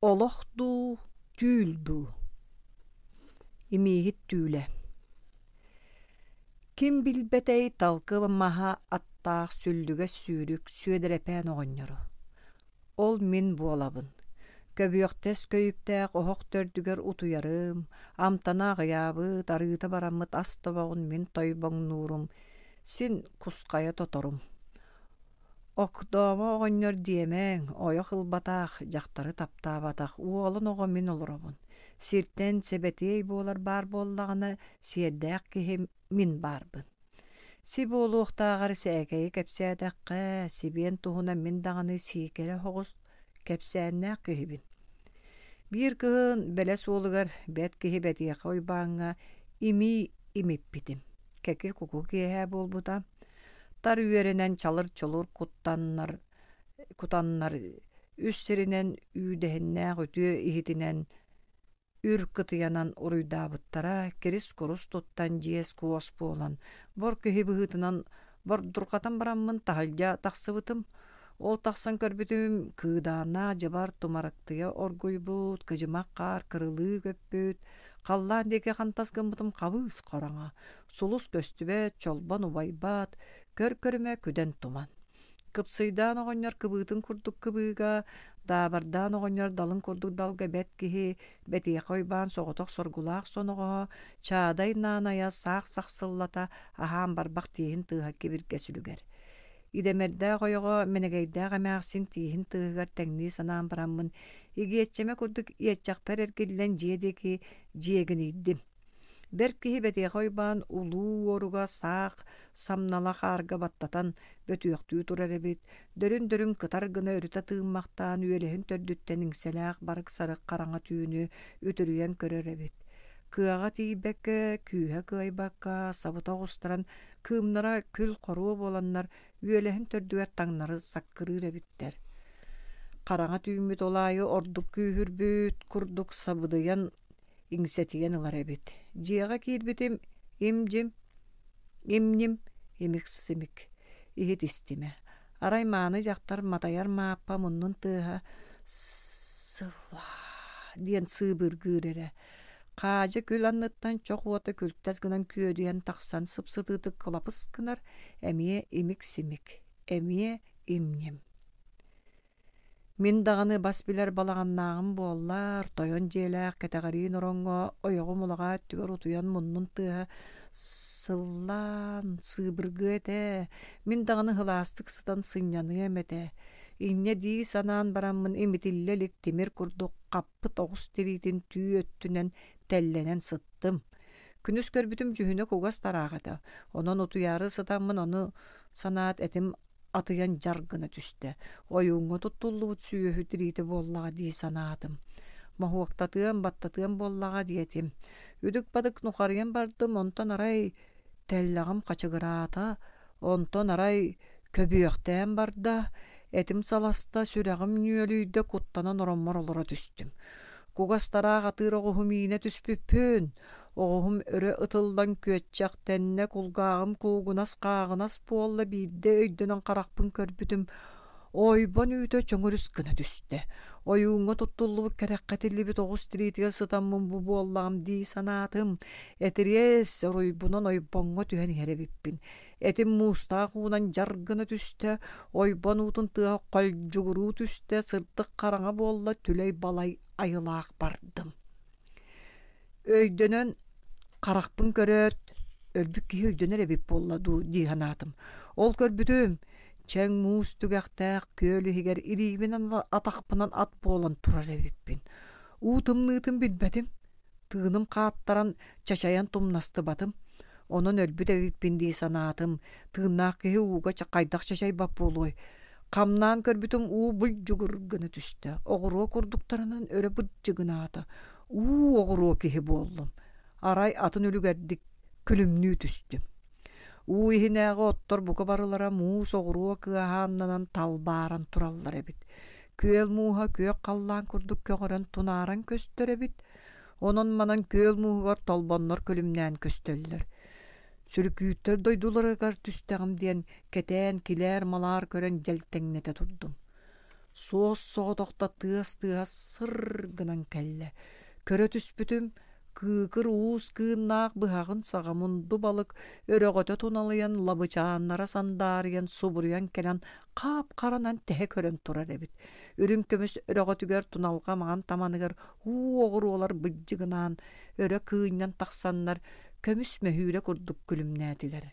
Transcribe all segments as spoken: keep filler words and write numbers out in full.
Олох дуу, түүл дуу? Имииһит түүлэ. Ким билбэтэй талкы маһа аттаах сүллүгэс сүүрүк Сүөдэрэпээн оҕонньору. Ол мин буолабын. Көбүөхтэс көйүктээх оһох төрдүгэр утуйарым, амтана аҕыйаабыт, арыыта бараммыт ас тобоҕун мин тойбоҥнуурум, син кусхайа тоторум. Окдоомо оҕонньор диэмэҥ, ойох ылбатах, дьахтары таптаабатах уолун оҕо мин олоробун. Сиртэн сэбэтиэй буолар баар буоллаҕына, сиэрдээх киһи мин баарбын. Си буолуохтааҕар сээкэйи кэпсээтэххэ, сибиэн туһунан мин даҕаны сиикэрэ оҕус кэпсээннээх киһибин. Биир кыһын Бэлэс уолугар бэт киһи Бэтиэхэ Уйбааҥҥа имии имиппитим. Кэки-куку киэһэ буолбута. Тар үөрэнэн чалыр-чолур куттаннар, кутаннар үс сиринэн үүдэһиннээх үтүө иһитинэн үр кытыйанан уруйдаабыттара, кирис-курус туттан дьиэс-куос буолан, бор киһи быһыытынан бордурҕатан бараммын таһырдьа тахсыбытым. Ол тахсан көрбүтүм, кыыдааннаах дьыбар тумарыктыйа оргуйбут, кыдьымах хаар кырылыы көппүт, халлаан диэки хантас гыммытым хабыыс хараҥа, сулус көстүбэт, чолбон убайбат, көр-көрүмэ күдэн туман. Кыпсыйдаан оҕонньор кыбыытын курдук кыбыыга, даабардаан оҕонньор далын курдук далга бэт киһи, Бэтиэхэ Уйбаан соҕотох соргулаах соноҕоһо, Чаадай наанайа саах сахсыллата аһаан барбах тииһин тыаһа кибиргэ сүлүгэр. Идэмэрдээх ойоҕо Мэнэгэйдээх эмээхсин тииһин тыаһыгар тэҥнии санаан бараммын, игиэччэмэ курдук иэччэхпэр эргиллэн дьиэ диэки дьиэгинийдим. Бэрт киһи Бэтиэхэ Уйбаан улуу уоруга саах самнала хаарга баттатан бөтүөхтүү турар эбит, дөрүн-дөрүн кытар гына өрүтэ тыыммахтаан үөлэһин төрдүттэн иҥсэлээх барык-сарык хараҥа түүнү үтүрүйэн көрөр эбит. Кыаҕа тиийбэккэ, күүһэ кыайбакка, сабыта оҕустаран, кыымнара күл-хоруо буоланнар үөлэһин төрдүгэр таҥнары саккырыыр эбиттэр. Хараҥа түүммүт ол аайы ордук күүһүрбүт курдук сабыдыйан иҥсэтийэн ылар эбит. Дьиэҕэ киирбитим им-дьим, им-ньим, имик-симик. Иһит истимэ. Арай мааны дьахтар матайар мааппа муннун тыаһа «сылаа» диэн сыыбыргыыр эрэ. Хаадьы күл анныттан чох уота күлтэс гынан күөдүйэн тахсан сып-сытыытык кылапыс гынар, эмиэ имик-симик, эмиэ им-ньим. Мин даҕаны бас билэр балаҕаннааҕым буоллар, тойон дьиэлээх кэтэҕэриин ороҥҥо ойоҕум улаҕаа өттүгэр утуйан муннун тыаһа сыллаан сыыбыргыа этэ, мин даҕаны сылаастык сытан сынньаныам этэ. Инньэ дии санаан бараммын имитиллэ илик тимир курдук хаппыт оҕус тириитин түү өттүнэн тэллэнэн сыттым. Күнүс көрбүтүм дьүһүнэ кугас тараах этэ, онон утуйаары сытаммын ону санаат этим атыйан дьар гына түстэ. Ойууҥҥа туттуллубут сүөһү тириитэ буоллаҕа дии санаатым. Моһуоктатыам, баттатыам буоллаҕа диэтим. Үдүк-бадык нухарыйан бардым, онтон арай тэллэҕим хачыгыраата, онтон арай көбүөхтээн барда, этим саласта, сүрэҕим нүөлүйдэ, куттанан ороммор олоро түстүм. Кугас тараах атыыр оҕуһу миинэ түспүппүн. Оҕуһум өрө ытыллан күөччэхтэннэ, кулгааҕым куугунас-хааҕынас буолла, биирдэ өйдөнөн харахпын көрбүтүм, ойбон үүтэ чөҥөрүс гына түстэ. Ойууҥҥа туттуллубут кэрэххэ тиллибит оҕус тириитигэр сытаммын бу буоллаҕым дии санаатым. Этириэс оруйбунан ойбоҥҥо түһэн иһэр эбиппин. Этим муустаах уунан дьар гына түстэ, ойбон уутун тыаһа холдьугуруу түстэ, сырдык хараҥа буолла, түлэй-балай айылаах бардым. Өйдөнөн харахпын көрөөт, өлбүт киһи өйдөнөр эбит буолла дуу дии санаатым. Ол көрбүтүм, чэҥ муус түгэхтээх күөл иһигэр илиибинэн атахпынан ат буолан турар эбиппин. Уу тымныытын билбэтим, тыыным хааттаран чачайан тумнастыбатым. Онон өлбүт эбиппин дии санаатым. Тыыннаах киһи ууга хайдах чачайбат буолуой? Хамнаан көрбүтүм уу булдьугур гына түстэ. Оҕуруо курдуктарынан өрө бырдьыгынаата. Уу оҕуруо киһи буоллум. Арай атын үлүгэрдик күлүмнүү түстүм. Уу иһинээҕи оттор бука барылара муус оҕуруо кыаһааннанан талбааран тураллар эбит. Күөл мууһа күөх халлаан курдук көҕөрөн тунааран көстөр эбит. Онон-манан күөл мууһугар толбоннор күлүмнээн көстөллөр. Сүрүкүүттэр дойдуларыгар түстэҕим диэн кэтээн килээр-малаар көрөн дьэлтэҥнэтэ турдум. Суос-соҕотохто тыас тыаһа сыр гынан кэллэ. Көрө түспүтүм, кыыкыр уус кыыннаах быһаҕын саҕа мунду балык өрөҕөтө туналыйан, лабычааннара сандаарыйан, субуруйан кэлэн хаап-харанан тэһэ көрөн турар эбит. Үрүҥ көмүс өрөҕөтүгэр туналҕа маҥан таманыгар уу оҕуруолар быдьыгынаан, өрө кыынньан тахсаннар көмүс мөһүүрэ курдук күлүмнээтилэр.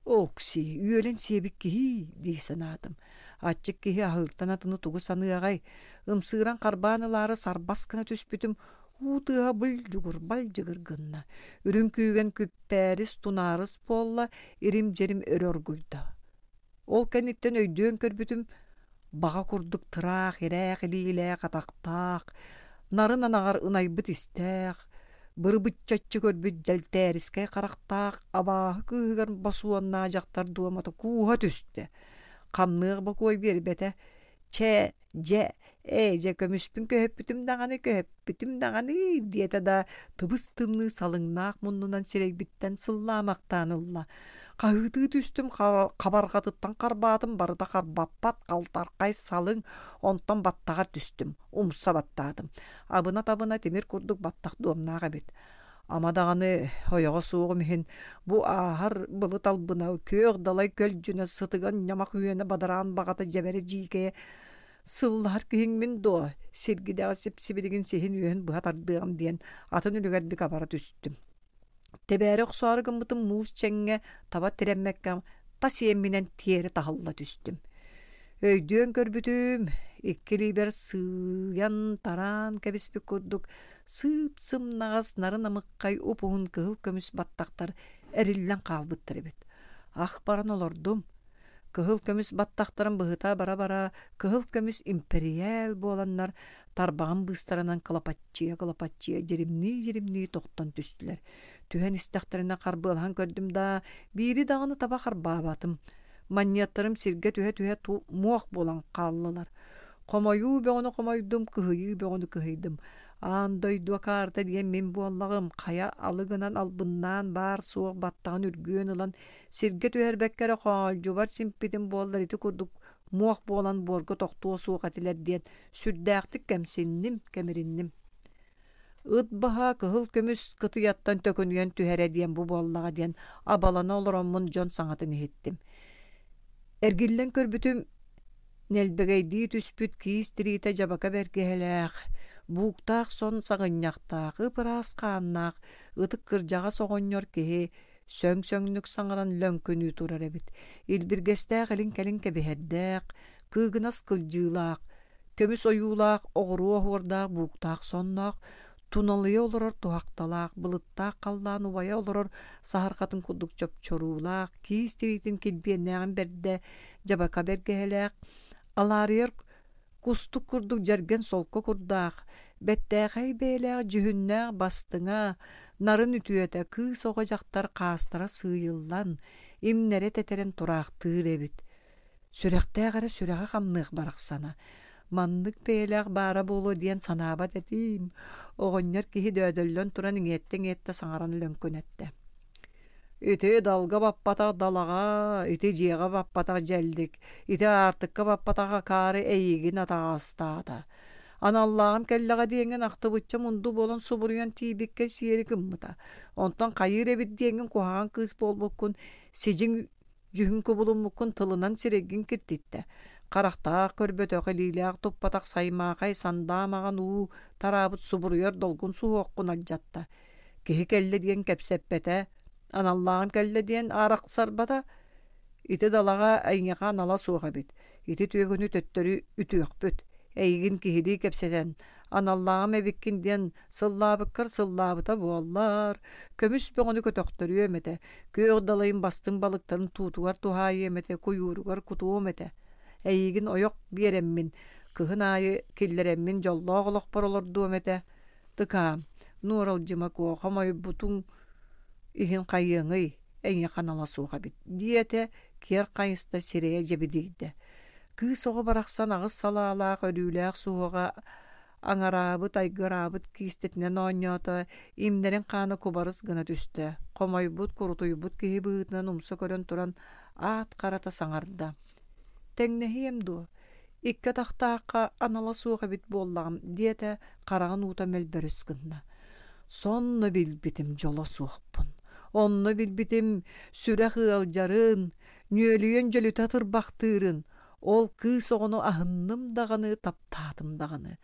Окси, үөлэн сиэбит киһи дии санаатым. Аччык киһи аһыыртан атыны тугу саныаҕай? Ымсыыран харбаан ылаары сарбас гына түспүтүм, уу тыаһа былдьугур балдьыгыр гынна. Үрүҥ күүгэн күппээрис тунаарыс буолла, ирим-дьирим өрө оргуйда. Ол кэнниттэн өйдөөн көрбүтүм, баҕа курдук тыраах ирээх илиилээх атахтаах, нарын анаҕар ынайбыт истээх, бырыбыччаччы көрбүт дьэлтээрискэй харахтаах абааһы кыыһыгар босуоннаа дьахтар дуомата кууһа түстэ. Хамныах бокуой биэрбэтэ. Чэ, дьэ, ээ дьэ көмүспүн көһөппүтүм даҕаны көһөппүтүм даҕаны диэтэ да тыбыс тымныы салыҥнаах муннунан сирэйбиттэн сыллаамахтаан ылла. Хаһыытыы түстүм, хабарҕатыттан харбаатым, барыта харбаппат халтархай салыҥ, онтон баттаҕар түстүм, умса баттаатым. Абына-табына тимир курдук баттах дуомнаах эбит. Ама даҕаны ойоҕо суоҕум иһин бу ааһар былыт албына, күөх далай көлдьүнэ, сытыган ньамах үөнэ бадараан баҕата дьэбэрэ дьиикэйэ сыллаһар киһиҥ мин дуо, сиргидэҕи сип-сибилигин сиһин үөһүн быһа тардыаҕым диэн атын үлүгэрдик абара түстүм. Тэбээри охсоору гыммытым муус чэҥҥэ таба тирэммэккэ тас иэмминэн тиэрэ таһылла түстүм. Өйдүөн көрбүтүм, икки илиибэр сыыйан тараан кэбиспит курдук сыып-сымнаҕас нарын амыккай уп-уһун кыһыл көмүс баттахтар эриллэн хаалбыттар эбит. Ах баран олордум. Кыһыл көмүс баттахтарын быһыта бара-бара кыһыл көмүс импэрийээл буоланнар тарбаҕым быыстарынан кылапаччыйа-кылапаччыйа дьиримнии-дьиримнии тохтон түстүлэр. Түһэн истэхтэринэ харбыалаһан көрдүм да, биири даҕаны таба харбаабатым. Манньыаттарым сиргэ түһэ-түһэ муох буолан хааллылар. Хомойуу бөҕөнү хомойдум, кыһыйыы бөҕөнү кыһыйдым. Аан дойду акаарыта диэн мин буоллаҕым, хайа алы гынан албыннаан баар-суох баттаҕын үргүөн ылан сиргэ түһэрбэккэ эрэ хоолдьубар симпитим буоллар ити курдук муох буолан буорга тохтуо суох этилэр диэн сүрдээхтик кэмсинним, кэмиринним. Ыт баһа кыһыл көмүс кытыйаттан төкүнүйэн түһэрэ диэн бу буоллаҕа диэн абалана олороммун дьон саҥатын иһиттим. Эргиллэн көрбүтүм, нэлбэгэйдии түспүт киис тириитэ дьабака бэргэһэлээх, бууктаах сон саҕынньахтаах, ып-ыраас хааннаах, ытык кырдьаҕас оҕонньор киһи сөҥ-сөҥнүк саҥаран лөҥкүнүү турар эбит. Илбиргэстээх илин-кэлин кэбиһэрдээх, кыыгынас кылдьыылаах, көмүс ойуулаах, оҕуруо оһуордаах бууктаах сонноох, туналыйа олорор туһахталаах, былыттаах халлаан убайа олорор саһархатын курдук чопчоруулаах, киис тириитин килбиэннээҕин бэрдэ, дьабака бэргэһэлээх, алаарыйар кустук курдук дьэргэн солко курдаах, бэттээхэй бэйэлээх дьүһүннээх бастыҥа, нарын үтүөтэ, кыыс оҕо дьахтар хаастара сыыйыллан, имнэрэ тэтэрэн тураахтыыр эбит. Сүрэхтээх эрэ сүрэҕэ хамныах барахсана. Маннык бэйэлээх баара буолуо диэн санаабат этим. Оҕонньор киһи дөөдөллөн туран иҥиэттэ-иҥиэттэ саҥаран лөҥкүнэттэ. Ити далга баппатах далаҕа, ити дьиэҕэ баппатах дьэллик, ити аартыкка баппатах акаары эйигин атаҕастаата. Аналлааҕым кэллэҕэ диэҥҥин ахтыбычча мунду буолан субуруйан тиийбиккэ сиэри гыммыта. Онтон хайыыр эбит диэҥҥин куһаҕан кыыс буолбуккун, сидьиҥ дьүһүн кубулуммуккун тылынан сирэйгин киртиттэ. Харахтаах көрбөтөх, илиилээх туппатах саймаахай сандаа маҕан уу тараабыт субуруйар долгун суһуоххун алдьатта. Киһи кэллэ диэн кэпсэппэтэ, аналлааҕым кэллэ диэн арахсарбата. Ити далаҕа эйиэхэ анала суох эбит. Ити түөкүнү төттөрү үтүөхпүт. Эйигин киһилии кэпсэтэн, аналлааҕым эбиккин диэн сыллаабыккар сыллаабыта буоллар, көмүс бөҕөнү көтөхтөрүөм этэ, күөх далайын бастыҥ балыктарын туутугар туһаайыам этэ, куйууругар кутуом этэ. Эйигин ойох биэрэммин, кыһын аайы киллэрэммин дьоллоох олохпор олордуом этэ. Тыкаам, нуоралдьыма куо, хомойбутуҥ иһин хайыаҥый, эйиэхэ анала суох эбит, диэтэ, киэр хайыста сирэйэ дьэбидийдэ. Кыыс оҕо барахсан аҕыс салаалаах өрүүлээх суһуоҕа аҥараабыт, айгыраабыт киистэтинэн оонньоото, имнэрин хаана кубарыс гына түстэ. Хомойбут, курутуйбут киһи быһыытынан умса көрөн туран аат харата саҥарда. Тэҥнэһиэм дуо? Икки атахтаахха анала суох эбит буоллаҕым, диэтэ, хараҕын уута мөлбөрүс гынна. Сонно билбитим дьоло суохпун. Онно билбитим сүрэх ыалдьарын, нүөлүйэн дьөлүтэ тырбахтыырын. Ол кыыс оҕону аһынным даҕаны, таптаатым даҕаны.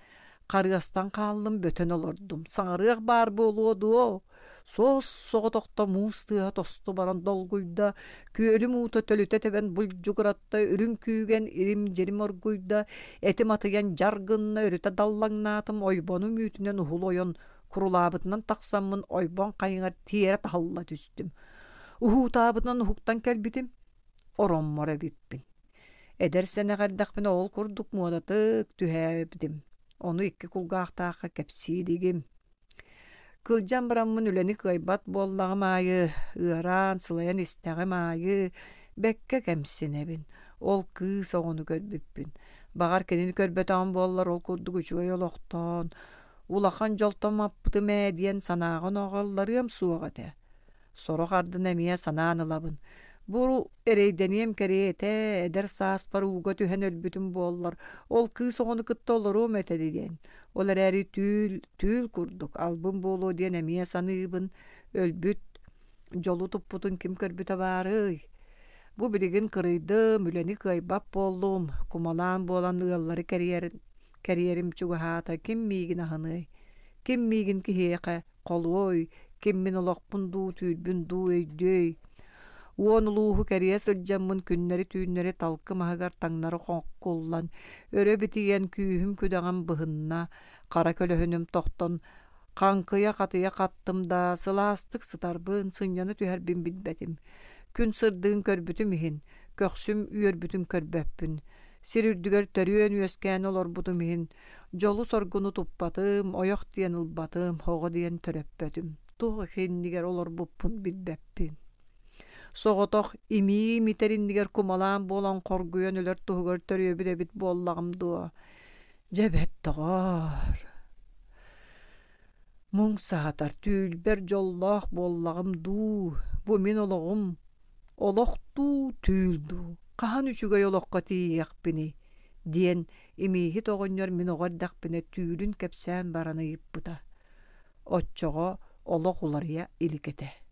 Харыастан хааллым, бөтөн олордум. Саҥарыах баар буолуо дуо? Суос соҕотохто муус тыаһа тосту баран долгуйда, күөлүм уута төлүтэ тэбэн булдьугуратта, үрүҥ күүгэн ирим-дьирим оргуйда, этим атыйан дьар гынна, өрүтэ даллаҥнаатым, ойбонум үүтүнэн уһул ойон, курулаабытынан тахсаммын ойбон хайыҥар тиэрэ таһылла түстүм. Уһуутаабытынан уһуктан кэлбитим, ороммор эбиппин. Эдэр сэнэх эрдэхпинэ ол курдук муодатык түһээбитим. Ону икки кулгаахтаахха кэпсии илигим. Кылдьан бараммын үлэни кыайбат буоллаҕым аайы, ыараан, сылайан истэҕим аайы, бэккэ кэмсинэбин. Ол кыыс оҕону көрбүппүн. Баҕар кинини көрбөтөҕүм буоллар ол курдук үчүгэй олохтоон, улахан дьолтон маппытым ээ диэн санааҕын оҕолларыам суох этэ. Сорох ардын эмиэ санаан ылабын. Бу эрэйдэниэм кэриэтэ, эдэр сааспар ууга түһэн өлбүтүм буоллар, ол кыыс оҕону кытта олоруом этэ диэн. Ол эрээри түүл, түүл курдук албын буолуо диэн эмиэ саныыбын. Өлбүт, дьолу туппутун ким көрбүтэ баарый? Бу билигин кырыйдым, үлэни кыайбат буоллум, кумалаан буолан ыаллары кэрийэр, кэрийэрим чугаһаата, ким миигин аһыныай? Ким миигин киһиэхэ холуой? Ким мин олохпун дуу, түүрбүн дуу өйдүөй? Уон улууһу кэрийэ сылдьаммын күннэри-түүннэри талкым аһыгар таҥнары хоҥкуллан, өрө битийэн күүһүм-күдэҕим быһынна, хара көлөһүнүм тохтон, хаҥкыйа-хатыйа хаттым да, сылаастык сытарбын, сынньана түһэрбин билбэтим. Күн сырдыгын көрбүтүм иһин, көхсүм үөрбүтүн көрбөппүн. Сир үрдүгэр төрүөн үөскээн олорбутум иһин, дьолу-соргуну туппатым, ойох диэн ылбатым, оҕо диэн төрөппөтүм. Туох иннигэр олорбуппун билбэппин. Соҕотох имиим итэр иннигэр кумалаан буолан хоргуйан өлөр туһугар төрүөбүт эбит буоллаҕым дуо? Дьэ бэт доҕоор. Муҥ саатар түүлбэр дьоллоох буоллаҕым дуу, бу мин олоҕум, олох дуу, түүл дуу, хаһан үчүгэй олоххо тиийиэхпиний? Диэн имииһит оҕонньор мин оҕо эрдэхпинэ түүлүн кэпсээн баран ыйыппыта. Оччоҕо олох уларыйа илик этэ.